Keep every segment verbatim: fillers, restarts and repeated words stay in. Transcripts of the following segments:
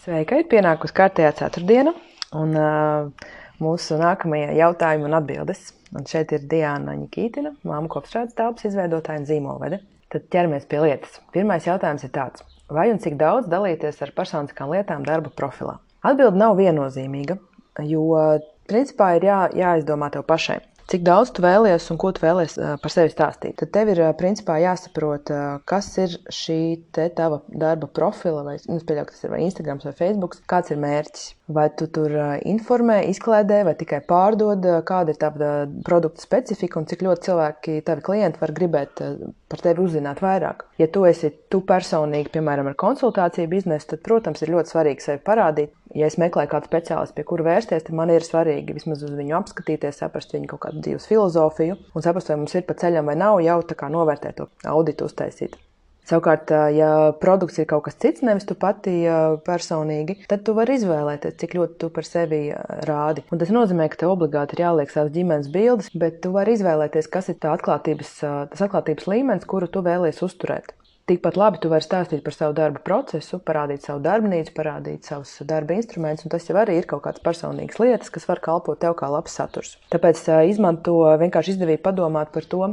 Sveika, ir pienākusi kārtējā ceturtdiena un uh, mūsu nākamajā jautājumi un atbildes. Un šeit ir Diana Ņikītina, māmu kopstrādes telpas izveidotāja un zīmolvede. Tad ķeramies pie lietas. Pirmais jautājums ir tāds. Vai un cik daudz dalīties ar personiskām lietām darba profilā? Atbilde nav viennozīmīga, jo principā ir jā, jāizdomā tev pašai. Cik daudz tu vēlies un ko tu vēlies par sevi stāstīt. Tad tev ir principā jāsaprot, kas ir šī te tava darba profila, vai, nu, pieļauju, tas ir vai Instagrams vai Facebooks, kāds ir mērķis. Vai tu tur informē, izklēdē, vai tikai pārdod, kāda ir tava produkta specifika un cik ļoti cilvēki, tavi klienti var gribēt par tevi uzzināt vairāk. Ja tu esi tu personīgi, piemēram, ar konsultāciju biznesu, tad, protams, ir ļoti svarīgi sevi parādīt. Ja es meklēju kādu speciālistu, pie kura vērsties, tad man ir svarīgi vismaz uz viņu apskatīties, saprast viņu kaut kādu dzīves filozofiju un saprast, vai mums ir pa ceļam vai nav, jau tā kā novērtēt to auditu uztaisīt. Savukārt, ja produkts ir kaut kas cits, nevis tu pati personīgi, tad tu vari izvēlēties, cik ļoti tu par sevi rādi. Un tas nozīmē, ka tev obligāti ir jāliek savas ģimenes bildes, bet tu vari izvēlēties, kas ir tā atklātības, tas atklātības līmenis, kuru tu vēlies uzturēt. Tikpat labi tu vari stāstīt par savu darba procesu, parādīt savu darbnīcu, parādīt savus darba instrumentus, un tas jau arī ir kaut kādas personīgas lietas, kas var kalpot tev kā labs saturs. Tāpēc izmanto vienkārši izdevību padomāt par to,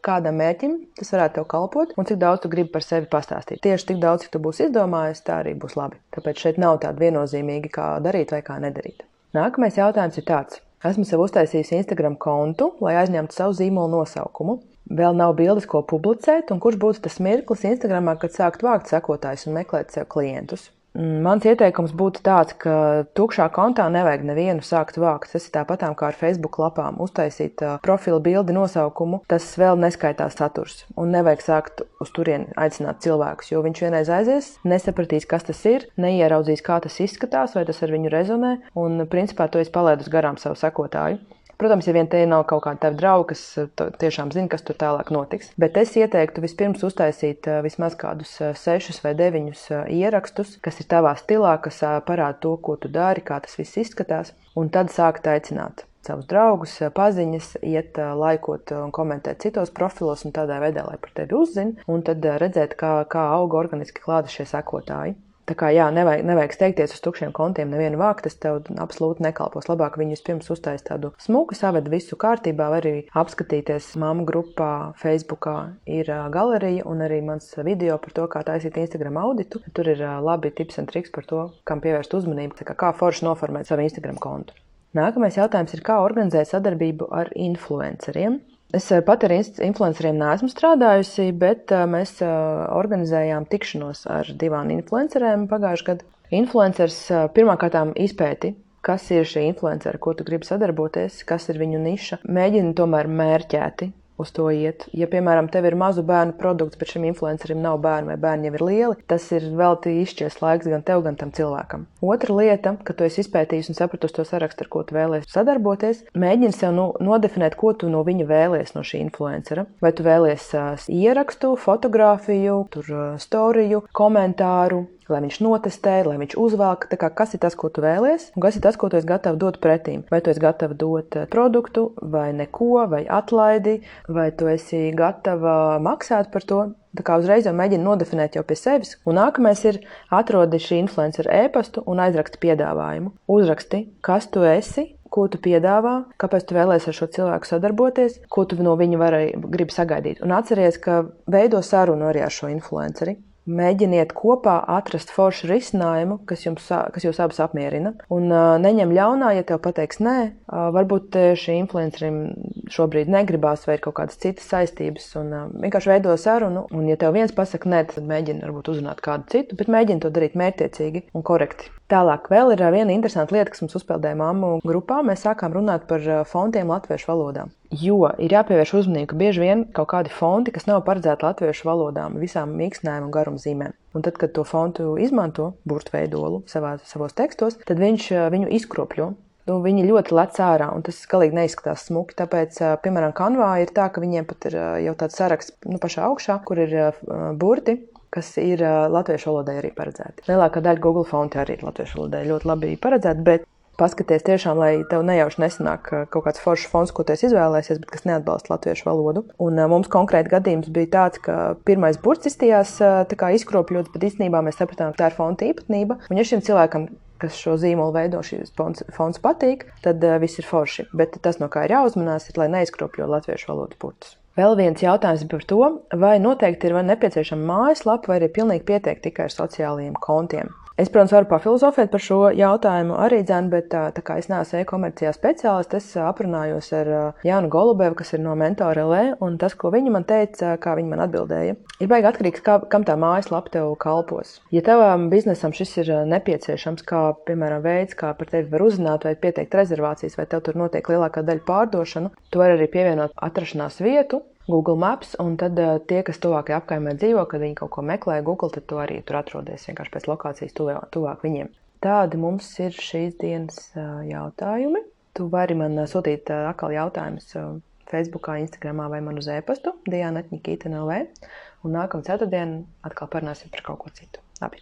kādam mērķim tas varētu tev kalpot un cik daudz tu gribi par sevi pastāstīt. Tieši tik daudz, cik tu būsi izdomājis, tā arī būs labi. Tāpēc šeit nav tāda viennozīmīga, kā darīt vai kā nedarīt. Nākamais jautājums ir tāds. Esmu sev uztaisījusi Instagram kontu, lai aizņemtu savu zīmolu nosaukumu. Vēl nav bildes, ko publicēt, un kurš būtu tas mirklis Instagramā, kad sākt vākt sekotājus un meklēt sev klientus. Mans ieteikums būtu tāds, ka tukšā kontā nevajag nevienu sākt vākt. Tas ir tāpatām kā ar Facebook lapām. Uztaisīt uh, profila bildi nosaukumu, tas vēl neskaitās saturs. Un nevajag sākt uz turieni aicināt cilvēkus, jo viņš vienreiz aizies, nesapratīs, kas tas ir, neieraudzīs, kā tas izskatās, vai tas ar viņu rezonē, un principā to es palaidu garām savu sekotāju. Protams, ja vien te nav kaut kāda tavi draugi, kas tiešām zina, kas tur tālāk notiks. Bet es ieteiktu vispirms uztaisīt vismaz kādus sešus vai deviņus ierakstus, kas ir tavā stilā, kas parāda to, ko tu dari, kā tas viss izskatās, un tad sākt aicināt savus draugus, paziņas, iet laikot un komentēt citos profilos un tādā veidā, lai par tevi uzzina, un tad redzēt, kā, kā auga organiski klāta šie sekotāji. Tā kā jā, nevajag, nevajag steigties uz tukšiem kontiem, nevienu vākt, tas tev absolūti nekalpos. Labāk viņus pirms uztais tādu smuku, saved visu kārtībā, var arī apskatīties māmu grupā, Facebookā ir galerija un arī mans video par to, kā taisīt Instagram auditu. Tur ir labi tips un triks par to, kam pievērst uzmanību, tā kā, kā forši noformēt savu Instagram kontu. Nākamais jautājums ir, kā organizēt sadarbību ar influenceriem. Es pat ar influenceriem neesmu strādājusi, bet mēs organizējām tikšanos ar divām influencerēm pagājušajā gadā. Influencers pirmkārtām izpēti, kas ir šie influenceri, ko tu gribi sadarboties, kas ir viņu niša. Mēģini tomēr mērķēti uz to iet. Ja, piemēram, tev ir mazu bērnu produkts, bet šim influencerim nav bērni vai bērni jau ir lieli, tas ir velti izšķies laiks gan tev, gan tam cilvēkam. Otra lieta, ka tu esi izpētījis un sapratusi to sarakstu, ar ko tu vēlies sadarboties, mēģini sev nu, nodefinēt, ko tu no viņa vēlies no šī influencera. Vai tu vēlies uh, ierakstu, fotografiju, tur uh, storiju, komentāru, lai viņš notestē, lai viņš uzvelk, tā kā kas ir tas, ko tu vēlies, un kas ir tas, ko tu esi gatava dot pretīm. Vai tu esi gatava dot produktu, vai neko, vai atlaidi, vai tu esi gatava maksāt par to. Tā kā uzreiz jau mēģini nodefinēt jau pie sevis. Un nākamais ir atrodi šī influencera ēpastu un aizraksti piedāvājumu. Uzraksti, kas tu esi, ko tu piedāvā, kāpēc tu vēlies ar šo cilvēku sadarboties, ko tu no viņa vari, gribi sagaidīt. Un atceries, ka veido sarunu arī ar šo influenceri. Mēģiniet kopā atrast foršu risinājumu, kas, jums, kas jūs abas apmierina. Un uh, neņem ļaunā, ja tev pateiks nē. Uh, varbūt šī influencerim šobrīd negribās vai ir kaut kādas citas saistības. Un uh, vienkārši veido sarunu. Un ja tev viens pasaka nē, tad mēģini varbūt uzrunāt kādu citu, bet mēģini to darīt mērķtiecīgi un korekti. Tālāk vēl ir viena interesanta lieta, kas mums uzpeldēja mammu grupā. Mēs sākām runāt par fontiem latviešu valodā. Jo ir jāpievērš uzmanību, ka bieži vien kaut kādi fonti, kas nav paredzēti latviešu valodām, visām mīkstinājuma un garumzīmēm. Un tad, kad to fontu izmanto, burtveidolu savā, savos tekstos, tad viņš viņu izkropļo. Nu, viņi ļoti lec ārā, un tas galīgi neizskatās smuki. Tāpēc, piemēram, Canvā ir tā, ka viņiem pat ir jau tāds saraksts nu, pašā augšā, kur ir burti, kas ir latviešu valodai arī paredzēti. Lielākā daļa Google fonti arī ir latviešu valodai ļoti labi paredzēti, bet paskaties tiešām, lai tev nejauši nesanāk kaut kāds foršs fonds, ko tu esi izvēlējies, bet kas neatbalsta latviešu valodu. Un mums konkrēti gadījums bija tāds, ka pirmais burts izstījās tā kā izkropļots, bet īstenībā mēs sapratām, ka tā ir fonda īpatnība. Un ja šim cilvēkam, kas šo zīmolu veido, šis fonds, fonds patīk, tad uh, viss ir forši. Bet tas, no kā ir jāuzmanās, ir, lai neizkropļo latviešu valodas burtus. Vēl viens jautājums par to, vai noteikti ir vai nepieciešama mājaslapa, vai arī pilnīgi pietiek tikai ar sociālajiem kontiem. Es, protams, varu pafilozofēt par šo jautājumu arī, dzēn, bet tā, tā kā es neesmu e-komercijā speciālists, es aprunājos ar Jānu Golubevu, kas ir no Mentor L V, un tas, ko viņa man teica, kā viņa man atbildēja, ir baigi atkarīgs, kā, kam tā mājaslapa tev kalpos. Ja tavam biznesam šis ir nepieciešams, kā, piemēram, veids, kā par tevi var uzzināt, vai pieteikt rezervācijas, vai tev tur notiek lielākā daļa pārdošanu, tu vari arī pievienot atrašanās vietu, Google Maps, un tad uh, tie, kas tuvākajā apkaimē dzīvo, kad viņi kaut ko meklē Google, tad tu arī tur atrodies vienkārši pēc lokācijas tuvāk, tuvāk viņiem. Tādi mums ir šīs dienas uh, jautājumi. Tu vari man uh, sūtīt uh, atkal jautājumus uh, Facebookā, Instagramā vai man uz e-pastu diana at nikītina punkt l v, un nākamā ceturtdiena atkal parunāsim par kaut ko citu. Labi.